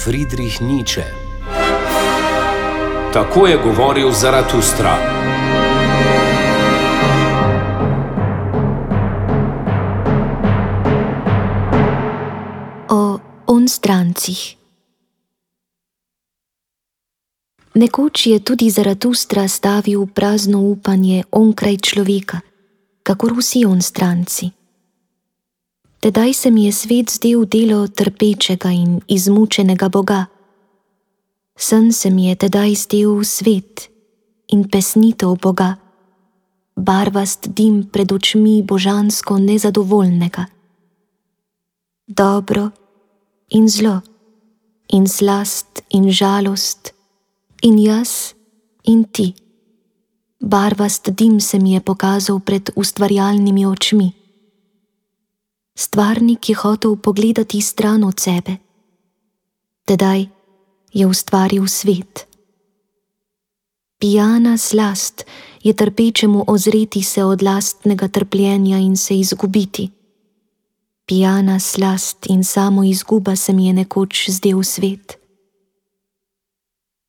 Friedrich Nietzsche. Tako je govoril Zaratustra. O onstrancih. Nekoč je tudi Zaratustra stavil prazno upanje onkraj človeka, kakor vsi onstranci. Tedaj se mi je svet zdel delo trpečega in izmučenega Boga. Sen se mi je tedaj zdel svet in pesnitev Boga, barvast dim pred očmi božansko nezadovoljnega. Dobro in zlo, in slast in žalost, in jaz in ti. Barvast dim se mi je pokazal pred ustvarjalnimi očmi. Stvarnik je hotel pogledati stran od sebe. Tedaj je ustvaril svet. Pijana slast je trpečemu ozreti se od lastnega trpljenja in se izgubiti. Pijana slast in samo izguba se mi je nekoč zdel svet.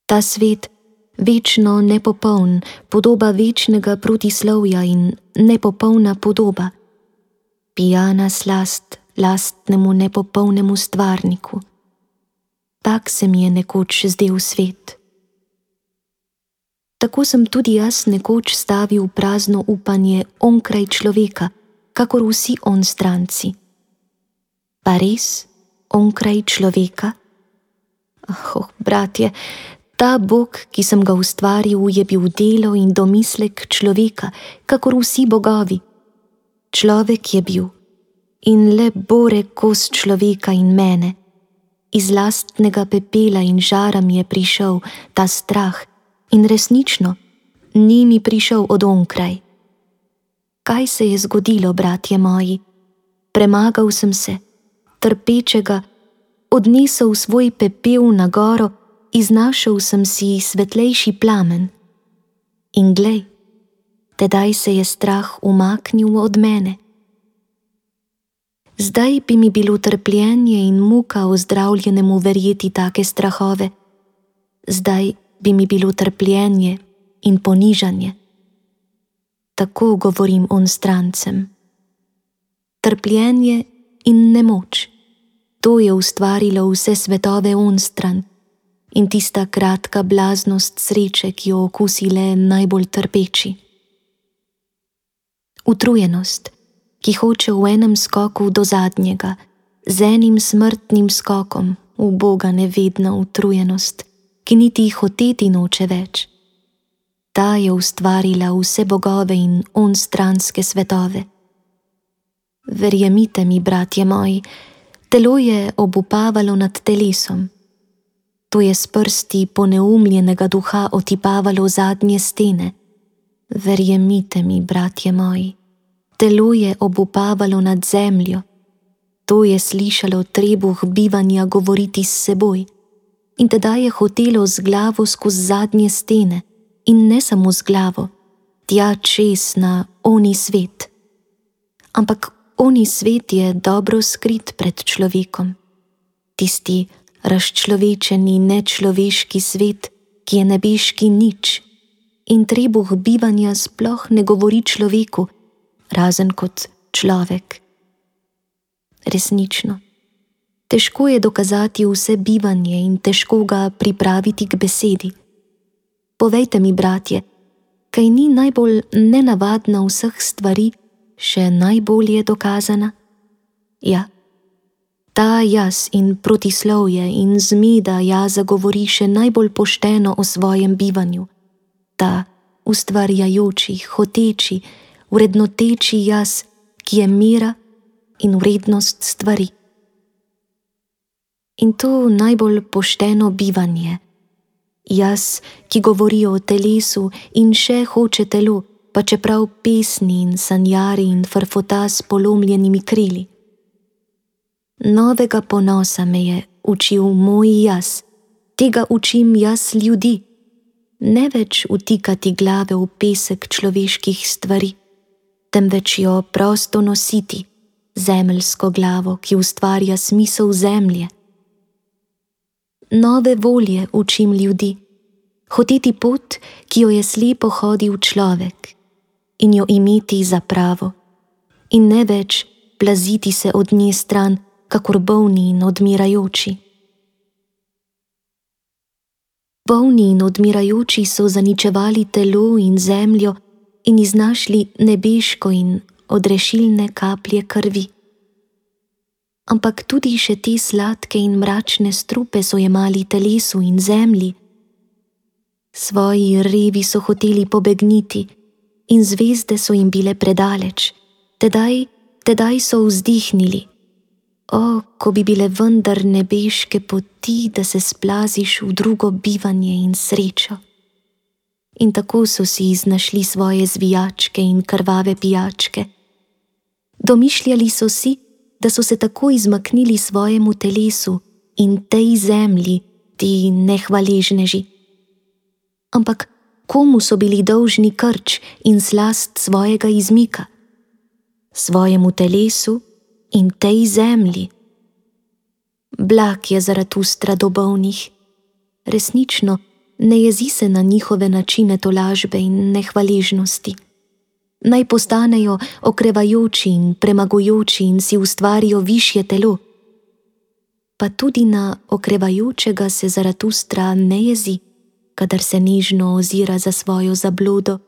Ta svet, večno nepopoln, podoba večnega protislovja in nepopolna podoba. Pijana slast lastnemu nepopolnemu stvarniku. Tak se mi je nekoč zdel svet. Tako sem tudi jaz nekoč stavil prazno upanje onkraj človeka, kakor vsi onstranci. Pa res onkraj človeka? Bratje, ta Bog, ki sem ga ustvaril, je bil delo in domislek človeka, kakor vsi bogovi. Človek je bil in le bore kos človeka in mene. Iz lastnega pepela in žara mi je prišel ta strah in resnično ni mi prišel od onkraj. Kaj se je zgodilo, bratje moji? Premagal sem se, trpečega, odnesel svoj pepel na goro, iznašel sem si svetlejši plamen. In glej, tedaj se je strah umaknil od mene. Zdaj bi mi bilo trpljenje in muka ozdravljenemu verjeti take strahove. Zdaj bi mi bilo trpljenje in ponižanje. Tako govorim onstrancem. Trpljenje in nemoč, to je ustvarilo vse svetove onstran in tista kratka blaznost sreče, ki jo okusi le najbolj trpeči. Utrujenost, ki hoče v enem skoku do zadnjega, z enim smrtnim skokom, uboga nevedna utrujenost, ki niti hoteti noče več. Ta je ustvarila vse bogove in onstranske svetove. Verjemite mi, bratje moji, telo je obupavalo nad telesom. To je s prsti poneumljenega duha otipavalo zadnje stene. Verjemite mi, bratje moji, telo je obupavalo nad zemljo. To je slišalo trebuh bivanja govoriti s seboj in tedaj je hotelo z glavo skozi zadnje stene in ne samo z glavo, tja čez na oni svet. Ampak oni svet je dobro skrit pred človekom. Tisti razčlovečeni nečloveški svet, ki je nebeški nič in trebuh bivanja sploh ne govori človeku, razen kot človek. Resnično, težko je dokazati vse bivanje in težko ga pripraviti k besedi. Povejte mi, bratje, kaj ni najbolj nenavadna vseh stvari še najbolje dokazana? Ja, ta jaz in protislovje in zmeda jaza govori še najbolj pošteno o svojem bivanju. Ta ustvarjajoči, hoteči, vrednoteči jaz, ki je mera in vrednost stvari. In to najbolj pošteno bivanje. Jaz, ki govori o telesu in še hoče telo, pa čeprav pesni in sanjari in frfota s polomljenimi krili. Novega ponosa me je učil moj jaz, tega učim jaz ljudi, ne več utikati glave v pesek človeških stvari, temveč jo prosto nositi, zemeljsko glavo, ki ustvarja smisel zemlje. nove volje učim ljudi, hoditi pot, ki jo je slepo hodil človek, in jo imeti za pravo, in ne več plaziti se od nje stran, kakor bolni in odmirajoči. Bolni in odmirajoči so zaničevali telo in zemljo in iznašli nebeško in odrešilne kaplje krvi. Ampak tudi še te sladke in mračne strupe so jemali telesu in zemlji. Svoji revi so hoteli pobegniti in zvezde so jim bile predaleč. Tedaj so vzdihnili: o, ko bi bile vendar nebeške poti, da se splaziš v drugo bivanje in srečo. In tako so si iznašli svoje zvijačke in krvave pijačke. Domišljali so si, da so se tako izmaknili svojemu telesu in tej zemlji, ti nehvaležneži. Ampak komu so bili dolžni krč in slast svojega izmika? Svojemu telesu in tej zemlji. Blag je Zaratustra do bolnih. Resnično, ne jezi se na njihove načine tolažbe in nehvaležnosti. Naj postanejo okrevajoči in premagujoči in si ustvarijo višje telo. Pa tudi na okrevajočega se Zaratustra ne jezi, kadar se nežno ozira za svojo zabludo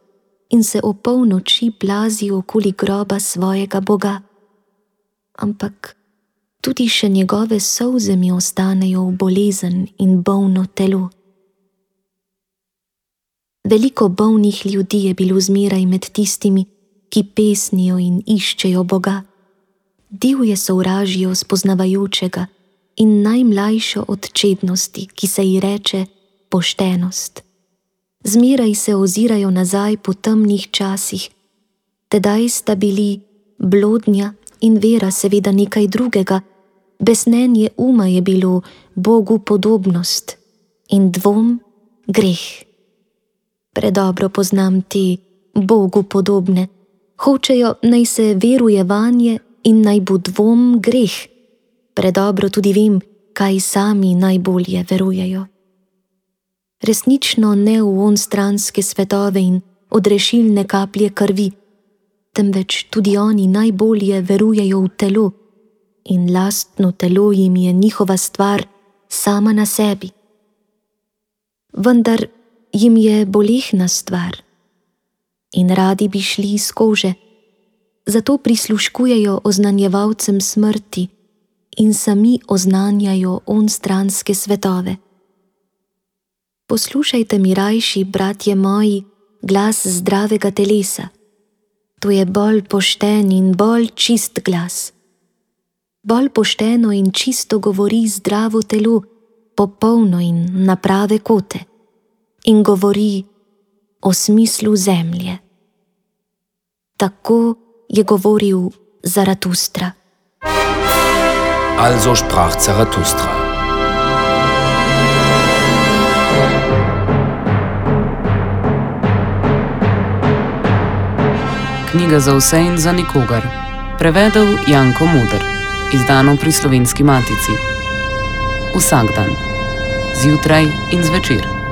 in se o polnoči plazi okoli groba svojega Boga. Ampak tudi še njegove solze mi ostanejo v bolezen in bolno telo. Veliko bolnih ljudi je bilo zmeraj med tistimi, ki pesnijo in iščejo Boga. Divje sovražijo spoznavajočega in najmlajšo od čednosti, ki se ji reče poštenost. Zmeraj se ozirajo nazaj po temnih časih. Tedaj sta bili blodnja in vera seveda nekaj drugega, besnenje uma je bilo Bogu podobnost in dvom greh. Predobro poznam te Bogu podobne, hočejo naj se veruje vanje in naj bo dvom greh. Predobro tudi vem, kaj sami najbolje verujejo. Resnično ne v onstranske svetove in odrešilne kaplje krvi, temveč tudi oni najbolje verujejo v telo in lastno telo jim je njihova stvar sama na sebi. Vendar jim je bolehna stvar in radi bi šli iz kože, zato prisluškujejo oznanjevalcem smrti in sami oznanjajo onstranske svetove. Poslušajte mi rajši, bratje moji, glas zdravega telesa. To je bolj pošten in bolj čist glas. Bolj pošteno in čisto govori zdravo telo, popolno in na prave kote, in govori o smislu zemlje. Tako je govoril Zaratustra. Also sprach Zarathustra. Knjiga za vse in za nikogar. Prevedel Janko Moder. Izdano pri Slovenski matici. Vsak dan. Zjutraj in zvečer.